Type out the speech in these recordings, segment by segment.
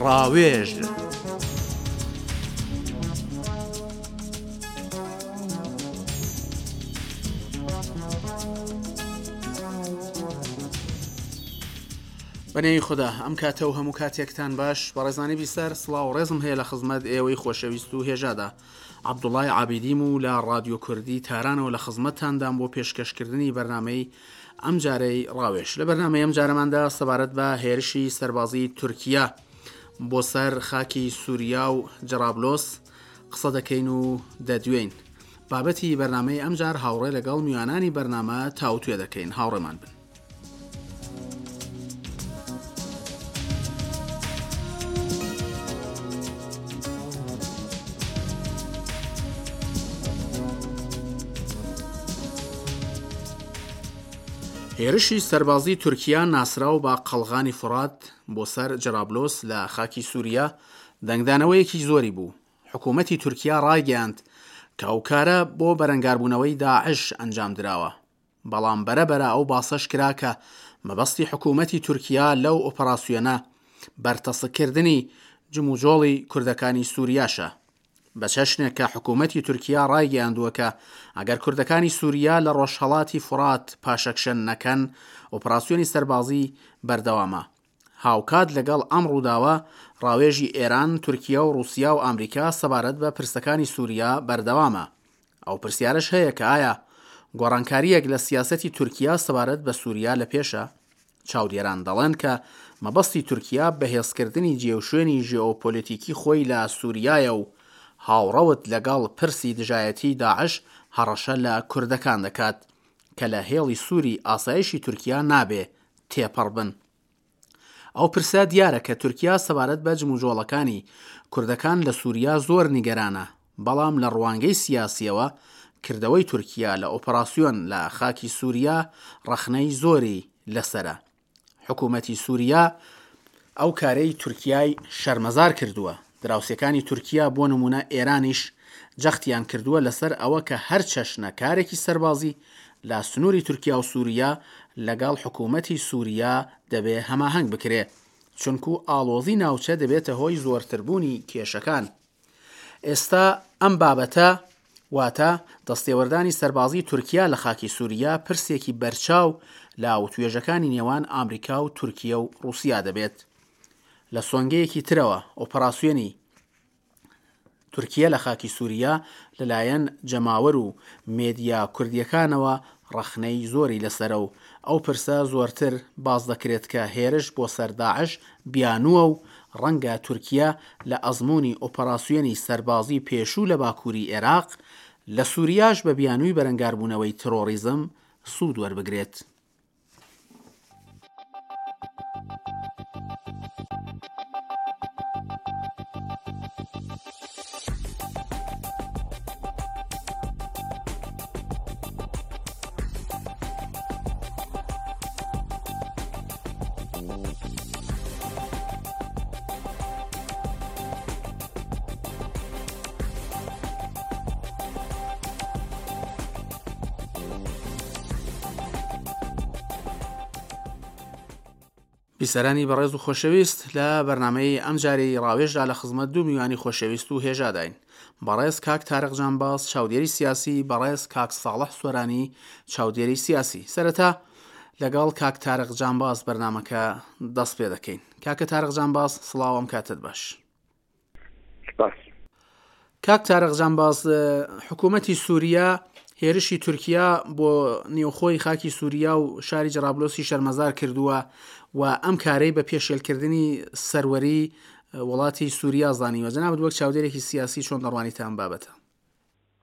ڕاوێژ. بەنێوی خودا ئەم کاتە و هەموو کاتێکتان باش بەڕێزانی بیسەر سڵاو ڕێزم هەیە لە خزمەت ئێوەی خۆشەویست و هێژادا عەبدوڵای عابیدیم و لە ڕادیۆ کوردی تارانەوە لە خزمەتتاندام بۆ پێشکەشکردنی بەرنامەی ئەمجارەی ڕاوێژ. لە بەرنامەی ئەمجارەماندا سەبارەت بە هێرشی سەربازی تورکیا بۆ سەر خاکی سوریا و جەرابلۆس قسە دەکەین و دەدوێین. بابەتی بەرنامەی ئەمجار هاوڕێ لەگەڵ میوانانی بەرنامە تاوتوێ دەکەین. هاوڕێمان بن. هێرشی سەربازی تورکیا ناسراو بە قەڵغانی فورات بۆ سەر جەرابلۆس لە خاکی سوریا دەنگدانەوەیەکی زۆری بوو. حکوومەتی تورکیا ڕایگەیاند کە ئەو کارە بۆ بەرەنگاربوونەوەی داعش ئەنجامدراوە. بەڵام بەرە بەرە ئەو باسەش کرا کە مەبەستی حکوومەتی تورکیا لەو ئۆپەراسیۆنە بەرتەسککردنی جموجۆڵی کوردەکانی سووریاشە. بە چەشنێک کە حکوومەتی تورکیا ڕایگەیاندووە کە ئەگەر کوردەکانی سووریا لە ڕۆژهەڵاتی فورات پاشەکشە نەکەن، ئۆپراسیۆنی سەربازی بەردەوامە. هاوکات لەگەڵ ئەم ڕووداوە، ڕاوێژی ئێران، تورکیا و ڕووسیا و ئامریکا سەبارەت بە پرسەکانی سووریا بەردەوامە. ئەو پرسیارەش هەیە کە ئایا گۆڕانکارییەک لە سیاسەتی تورکیا سەبارەت بە سووریا لە پێشە؟ چاودێران دەڵێن کە مەبەستی تورکیا بەهێزکردنی جێوشوێنی ژێئۆپۆلیتیکی خۆی لە سووریایە و هاوڕەوت لەگەڵ پرسی دژایەتیی داعش هەڕەشە لە کوردەکان دەکات کە لە هێڵی سووری ئاسایشی تورکیا نابێ تێپەڕ بن. ئەو پرسە دیارە کە تورکیا سەبارەت بە جموجۆڵەکانی کوردەکان لە سوریا زۆر نیگەرانە، بەڵام لە ڕوانگەی سیاسیەوە کردەوەی تورکیا لە ئۆپەراسیۆن لە خاکی سوریا ڕەخنەی زۆری لەسەرە. حکومەتی سوریا ئەو کارەی تورکیای شەرمەزار کردووە. دراوسێکانی تورکیا بۆ نموونە ئێرانیش جەختیان کردووە لەسەر ئەوە کە هەر چەشنە کارێکی سەربازی لە سنووری تورکیا و سووریا لەگەڵ حکوومەتی سووریا دەبێ هەماهەنگ بکرێ چونکوو ئاڵۆزی ناوچە دەبێتە هۆی زۆرتربوونی کێشەکان. ئێستا ئەم بابەتە واتە دەستێوەردانی سەربازی تورکیا لە خاکی سووریا پرسێکی بەرچاو لە وتوێژەکانی نێوان ئامریکا و تورکیە و ڕووسیا دەبێت. لە سۆنگەیەکی ترەوە ئۆپەراسیۆنی تورکیە لە خاکی سووریا لەلایەن جەماوەر و مێدیا کوردییەکانەوە ڕەخنەی زۆری لەسەرە و ئەو پرسە زۆرتر باس دەکرێت کە هێرش بۆ سەر داعش بیانووە و ڕەنگە تورکیە لە ئەزموونی ئۆپەراسیۆنی سەربازی پێشوو لە باکووری ئێراق، لە سووریاش بە بیانووی بەرەنگاربوونەوەی ترۆڕیزم سوود وەربگرێت. بیسەرانی بەڕێز و خۆشەویست لە بەرنامەی ئەمجارەی ڕاوێژدا لە خزمەت دوو میوانی خۆشەویست و هێژاداین بەڕێز کاک تارق جانباز چاودێری سیاسی بەڕێز کاک ساڵح سۆرانی چاودێری سیاسی سەرەتا لەگەڵ کاک تارق جانباز بەرنامەکە دەست پێ دەکەین کاکە تارق جانباز سڵاو ئەم کاتت باش سپاس. کاک تارق جانباز حکوومەتی سووریا هێرشی تورکیا بۆ نێوخۆی خاکی سووریا و شاری جەرابلۆسی شەرمەزار کردووە و ئەم کارەی بە پێشێلکردنی سەروەری وڵاتی سووریا زانیوە جەنابت وەک چاودێرێکی سیاسی چۆن دەڕوانیتە ئەم بابەتە؟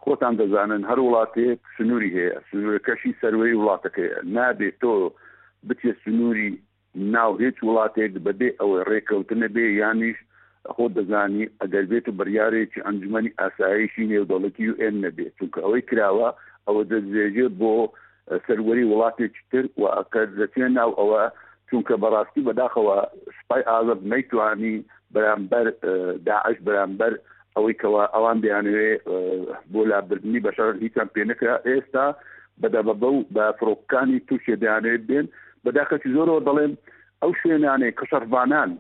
خۆتان دەزانن هەر وڵاتێک سنووری هەیە سنوورەکەشی سەروەری وڵاتەکەیە نابێت تۆ بچێت سنووری ناو هیچ وڵاتێک بەبێ ئەوەی ڕێکەوتن نەبێ یانیش خۆت دەزانی ئەگەر بێت و بڕیارێکی ئەنجومەنی ئاسایشی نێودەوڵەتی یو ئێن نەبێ چونکە ئەوەی کراوە ئەوە دەستدرێژێ بۆ سەروەری وڵاتێکی تر و ئەکە دەچێ ناو ئەوە چونکە بەڕاستی بەداخەوە سوپای ئازاد نەیتوانی بەرامبەر داعش بەرامبەر ئەوەی کەوا ئەوان دەیانەوێ بۆ لابردنی بەشار هیچیان پێ نەکرا ئێستا بە دەبەبە و بە فڕۆکەکانی تورکیە دەیانەوێت بێن بەداخێکی زۆرەوە دەڵێم ئەو شوێنانەی کە شەڕڤانان.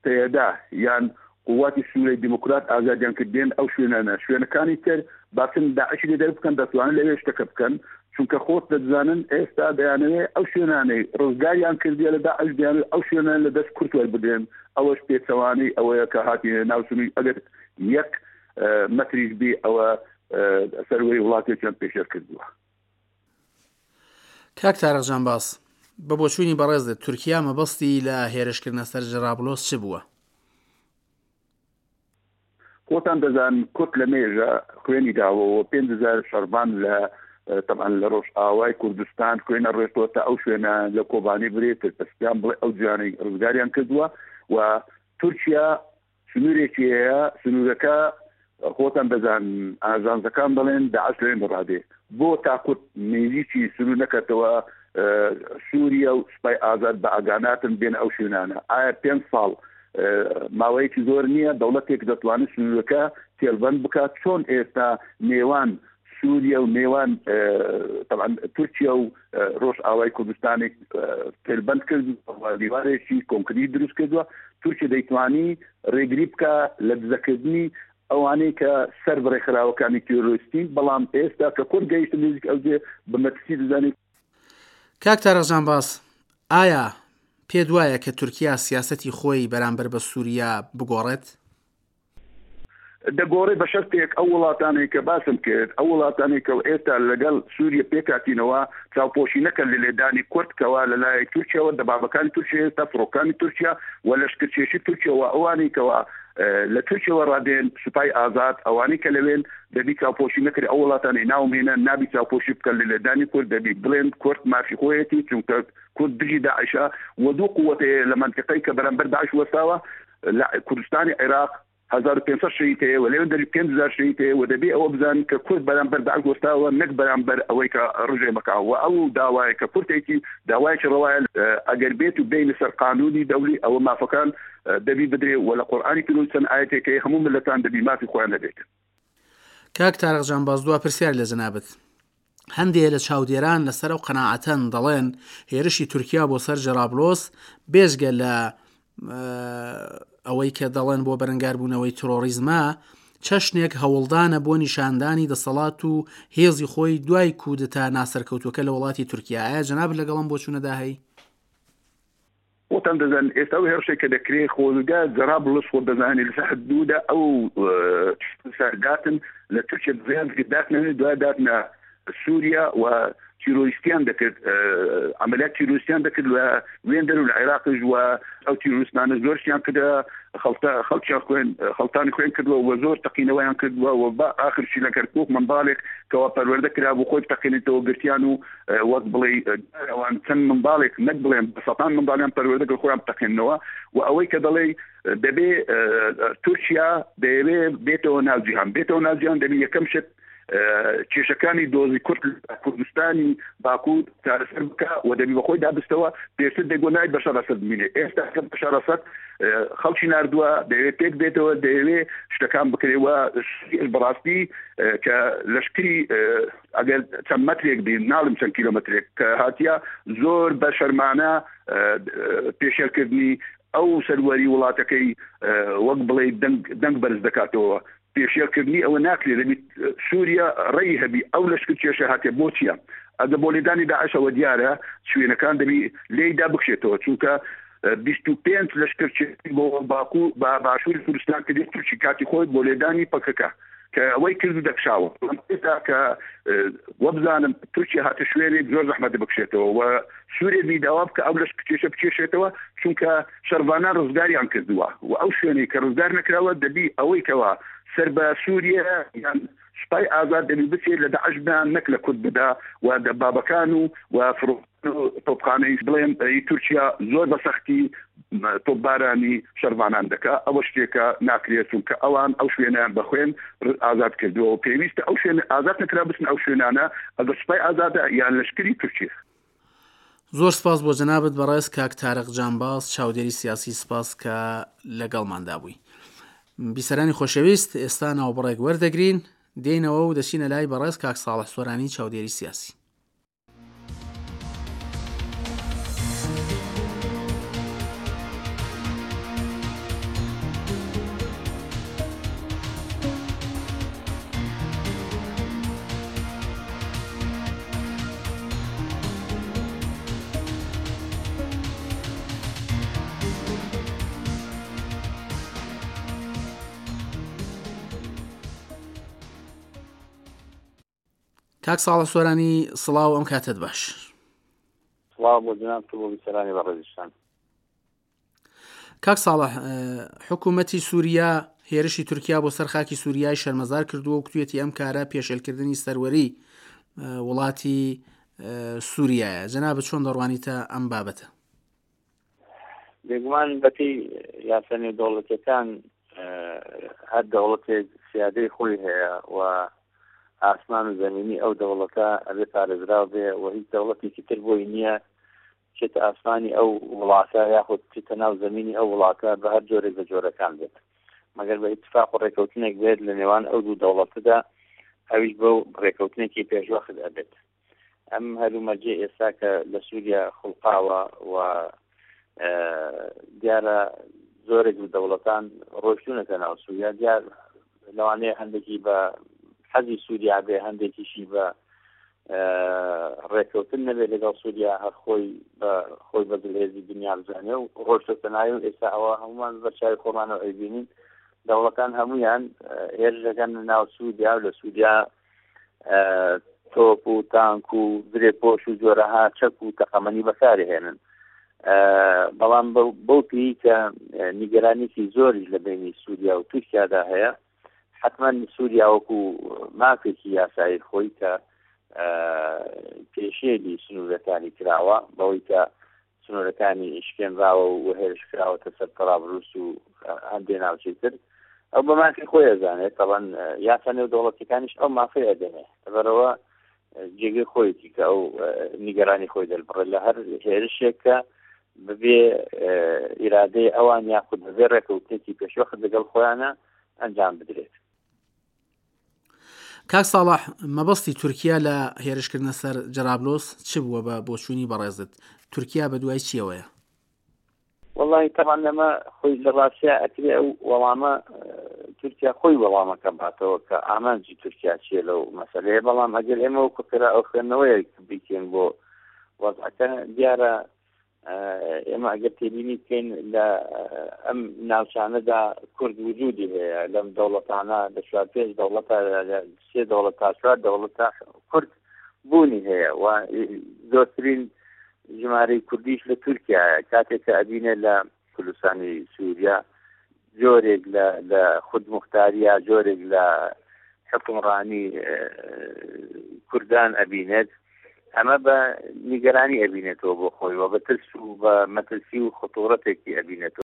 پەیەدە یان قوواتی سوریای دیموکرات ئازادیان کرد دێن ئەو شوێنانە شوێنەکانی تر باسن داعشی لێ دەربکەن دەتوانن لەوێ شتەکە بکەن چونکە خۆت دەزانن ئێستا دەیانەوێ ئەو شوێنانەی ڕزگاریان کردیە لە داعش دەیانەوێ ئەو شوێنانە لە دەست کورد وەربگرن ئەوەش پێچەوانەی ئەوەیە کە هاتینە ناو سنووری ئەگەر یەک مەتریش بی ئەوە سەروەری وڵاتێکیان پێشێل کردووە. کاک تارق جانباز، بە بۆچوونی بەڕێزت تورکیا مەبەستی لە هێرشکردنە سەر جەرابلۆس چ بووە؟ خۆتان دەزانن کورد لە مێژە خوێنی داوە و 5000 شەڕڤان لە تەبعەن لە ڕۆژئاوای کوردستان خوێنە ڕێژتووە تا ئەو شوێنە لە کۆبانی برێ ترپسپیان بڵێ ئەو جیانەی ڕزگاریان کردووە و تورکیا سنوورێکی هەیە، سنوورەکە خۆتان دەزانن ئاژانسەکان دەڵێن داعش لەوێ ڕادێ بۆ تا کورد نێزیکی سنوور نەکەتەوە سووریە و سوپای ئازاد بە ئاگاناتن بێن ئەو شوێنانە ئایا پێ ساڵ ماوەیەکی زۆر نییە دەوڵەتێک دەتوانێت سنوورەکە تێلبند بکات چۆن ئێستا نێوان سووریە و نێوان تەبعەن تورکیا و ڕۆژئاوای کوردستانێک تێلبەند کرد و دیوارێکی کۆنکریت دروست کردووە تورکیا دەیتوانی ڕێگری بکە لە دزەکردنی ئەوانەی کە سەر بە ڕێکخراوەکانی تیرۆریستین بەڵام ئێستا کە کورد گەیشتە نزیک ئەو جێ بە مەترسی دەزانێت. کاک تارق جانباز، ئایا پێت وایە کە تورکیا سیاسەتی خۆی بەرامبەر بە سووریا بگۆڕێت؟ دەگۆڕێ بە شەرتێک ئەو وڵاتانەی کە باسم کرد، ئەو وڵاتانەی کە ئێستا لەگەڵ سووریە پێکهاتینەوە چاوپۆشی نەکەن لە لێدانی کورد کەوا لە لایەک تورکیاوە دەبابەکانی تورکیا ئێستا فڕۆکانی تورکیا و لەشکرکێشی تورکیا و ئەوانەی کەوا لە تورکیاوە ڕادێن سوپای ئازاد ئەوانەی کە لەوێن دەبی چاوپۆشی نەکرێ ئەو وڵاتانەی ناوم هێنا نابی چاوپۆشی بکەن لە لێدانی کورد دەبی بڵێن کورد مافی خۆیەتی چونکە کورد دژی داعشە و دوو قووەت هەیە لە مەنتیقەی کە بەرامبەر داعش وەستاوە لە کوردستانی عێراق 1500 شەهید هەیە و لەوێ دەری 5000 شەهید هەیە و دەبێ ئەوە بزانن کە کورد بەرامبەر داعش وەستاوە نەک بەرامبەر ئەوەی کە ڕژێمەکە و ئەو داوایە کە کورتێکی داوایەکی ڕەوایە ئەگەر بێت و بێینە سەر قانونی دەولی ئەوە مافەکان دەبی بدرێ و لە قورئانی پیرۆز چەند ئایەتێک هەیە هەموو مللەتان دەبی مافی خۆیان هەبێت. کاک تارق جانباز دوا پرسیار لە جەنابت. هەندێ لە چاودێران لەسەر ئەو قەناعەتەن دەڵێن هێرشی تورکیا بۆ سەر جەرابلۆس بێجگە لە ئەوەی کە دەڵێن بۆ بەرەنگاربوونەوەی ترۆریزمە چەشنێک هەوڵدانە بۆ نیشاندانی دەسەڵات و هێزی خۆی دوای کودتا ناسەرکەوتوەکە لە وڵاتی تورکیا ئایا جەنابت لەگەڵم بۆچوونەدا هەی؟ خۆتان دەزانن ئێستا ئەو هێڕشێک کە دەکرێ خۆزگە جەرابلس خۆ دەزانانی لەسەر حدوودە ئەو سەرداتن لە تورکیا دزیان داتنە دوای داتنە سووریا و تیرۆریستیان دەکرد عملیات تیرۆریستیان دەکرد لە وێندەر و لە عێراقیش و ئەو تیرۆریستانە زۆرشیان کردە خەڵتە خەڵکیان خوێن خەڵتانی خوێن کردووە و زۆر تەقینەوەیان کردووە و بە ئاخرشی لە کەرکوک منداڵێک کەوا پەروەردە کرابوو خۆی بتەقێنێتەوە گرتیان و وەک بڵێی ئەوان چەند منداڵێک نەک بڵێن بە سەتان منداڵیان پەروەردە کرد خۆیان بتەقێننەوە و ئەوەی کە دەڵێی دەبێ تورکیا دەیەوێ بێتەوە ناو جیهان بێتەوە ناو جیهان دەبی یەکەم شت کێشەکانی دۆزی کورد لە کوردستانی باکوور چارەسەر بکە و دەبی بەخۆی دابستەوە پێشتر دەگۆ نای بەشار ئەسەد بمینێ ئێستا کە بەشار ئەسەد خەڵکی ناردووە دەیەوێت پێک بێتەوە دەیەوێ شتەکان بکرێ و بەڕاستی کە لەشکری ئەگەر چەند مەترێک بی ناڵم چەند کیلۆمەترێک کە هاتیە زۆر بە شەرمانە پێشێلکردنی ئەو سەروەری وڵاتەکەی وەک بڵێ دەنگ دەنگ بەرز دەکاتەوە پێشێلکردنی ئەوە ناکرێت دەبیت سووریا ڕێی هەبی ئەو لەشکر کێشە هاتێ بۆ چییە ئەگە بۆ لێدانی داعشەوە دیارە شوێنەکان دەبی لێیدا بکشێتەوە چونکە 25 لەشکر بۆ باکو بە باشووری کوردستان کردی تورکی کاتی خۆی بۆ لێدانی پەکەکە کە ئەوەی کرد و دەکشاوە بەڵام ئێستا کە وەبزانم تورکیا هاتە شوێنێک زۆر زەحمەتە بکشێتەوە و سوورێ بی داوا بکە ئەو لەش کێشە بکێشێتەوە چونکە شەرڤانان ڕزگاریان کردووە و ئەو شوێنەی کە ڕزگار نەکراوە دەبی ئەوەی کەوا سەر بە سووریە یان سوپای ئازاد دەبی بچێت لە داعش بدا نەک لە کورد بدا و دەبابەکان و و فڕۆ تۆپخانەی بڵێم ی تورکیا زۆر بە سەختی تۆپبارانی شەرڤانان دەکا ئەوە شتێکە ناکرێت چونکە ئەوان ئەو شوێنیان بە خوێن ئازاد کردووە و پێویستە ئەو شوێن ئازاد نەکرا بچن ئەو شوێنانە ئەگەر سوپای ئازادە یان لەشکری تورکیە. زۆر سپاس بۆ جەنابت بەڕێز کاک تارق جانباز چاودێری سیاسی سپاس کە لەگەڵماندا بووی. بیسەرانی خۆشەویست ئێستا ناوبڕێک وەردەگرین دێینەوە و دەچینە لای بەڕێز کاک ساڵح سۆرانی چاودێری سیاسی. کاک ساڵح سۆرانی سڵاو ئەم کاتەت باش. سڵاو بۆ جەنابت و بۆ بیسەرانی بەڕێزیشتان. کاک ساڵح حکوومەتی سووریا هێرشی تورکیا بۆ سەر خاکی سووریای شەرمەزار کردووە و کوتوێتی ئەم کارە پێشێلکردنی سەروەری وڵاتی سووریایە جەنابت چۆن دەڕوانیتە ئەم بابەتە؟ بێگومان بەپێی یاسا نێودەوڵەتیەکان هەر دەوڵەتێک سیادەی خۆی هەیە و ئاسمان و زەمینی ئەو دەوڵەتە ئەبێ پارێزراو بێ و هیچ دەوڵەتێکی تر بۆی نییە بچێتە ئاسمانی ئەو وڵاتە یاخود بچێتە ناو زەمینی ئەو وڵاتە بە هەر جۆرێک لە جۆرەکان بێت مەگەر بە ئیتفاق و ڕێکەوتنێک بێت لە نێوان ئەو دوو دەوڵەتەدا ئەویش بەو ڕێکەوتنێکی پێشوەخت ئەبێت. ئەم هەلومەرجەی ئێستا کە لە سووریا خوڵقاوە و دیارە زۆرێک لە دەوڵەتان ڕۆشتونەتە ناو سووریا دیار لەوانەیە هەندێکی بە حەزی سووریا بێ هەندێکیشی بە ڕێککەوتن نەبێت لەگەڵ سووریا هەر خۆی بە خۆی بە زلهێزی دنیا بزانێ و ڕۆشتۆتە ناوی و ئێستا ئەوە هەمومان بە چاوی خۆمانەوە ئەیبینین دەوڵەتان هەمویان هێرش دەکەن ناو سووریا و لە سووریا تۆپ و تانک و زرێپۆش و جۆرەها چەک و تەقەمەنی بەکارهێنن بەڵام بەو پێی کە نیگەرانێکی زۆریش لە بینی سووریا و تورکیادا هەیە حتمما سووریا وەکو مافێکی یاسایی خۆی کە پێشێلی سنوورەکانی کراوە بەوەی کە سنوورەکانی شکێنراوە و هێرش کراوەتە سەر تەرابلوس و هەندێ ناوچەی تر، ئەو بە مافی خۆی ئەزانێت، تەبعەن یاسا نێودەوڵەتیەکانیش ئەو مافەی ئەدەنێ، لەبەرئەوە جێگەی خۆیەتی کە ئەو نیگەرانی خۆی دەربڕێت لە هەر هێرشێک کە بەبێ ئیرادەی ئەوان یاخود بەبێ ڕێکەوتنێکی پێشوەخت لەگەڵ خۆیانە ئەنجام بدرێت. کاک ساڵح مەبەستی تورکیا لە هێرشکردنە سەر جەرابلۆس چ بووە بە بۆچوونی بەڕێزت تورکیا بە دوای چیەوەیە؟ وەڵی تەبعەن لەمە خۆی لە ڕاستیا ئەکرێ ئەو وەڵامە تورکیا خۆی وەڵامەکە باتەوە کە ئامانجی تورکیا چییە لەو مەسەلەیە بەڵام ئەگەر ئێمە وەکو قرا ئەو خوێندنەوەیەک بیکەین بۆ وەزعەکە دیارە ئێمە ئەگەر تێبینی بکەین لە ئەم ناوچانەدا کورد وجودی هەیە لەم دەوڵەتانە لە چوار پێنج دەوڵەتە لە سێ دەوڵەت تا چوار دەوڵەتە کورد بوونی هەیە و زۆرترین ژمارەی کوردیش لە تورکیایە کاتێک کە ئەبینێ لە کوردستانی سووریا جۆرێک لە لە خودموختارییا جۆرێک لە حوکمڕانی کوردان ئەبینێت ئەمە بە نیگەرانی ئەبینێتەوە بۆ خۆی و بە ترس و بە مەترسی و خطوڕەتێکی ئەبینێتەوە.